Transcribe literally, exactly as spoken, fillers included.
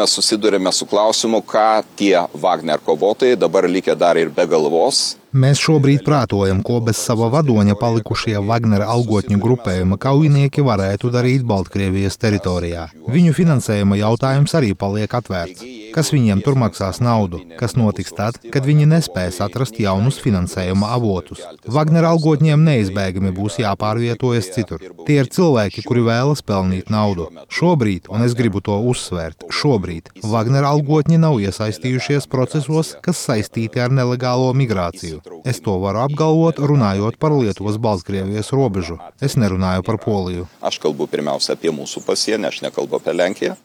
Mes susidurėme su klausimu, ką tie Wagner kovotojai dabar likę dar ir be galvos. Mēs šobrīd prātojam, ko bez sava vadoņa palikušie Wagner algotņu grupējuma kaujinieki varētu darīt Baltkrievijas teritorijā. Viņu finansējuma jautājums arī paliek atvērts. Kas viņiem tur maksās naudu? Kas notiks tad, kad viņi nespēs atrast jaunus finansējuma avotus? Wagner algotņiem neizbēgami būs jāpārvietojas citur. Tie ir cilvēki, kuri vēlas pelnīt naudu. Šobrīd, un es gribu to uzsvērt, šobrīd Wagner algotņi nav iesaistījušies procesos, kas saistīti ar nelegālo migrāciju. Es to varu apgalvot, runājot par Lietuvas-Baltkrievijas robežu. Es nerunāju par Poliju. Aš kalbu pirmiausia apie mūsų pasienį, aš nekalbu apie Lenkiją.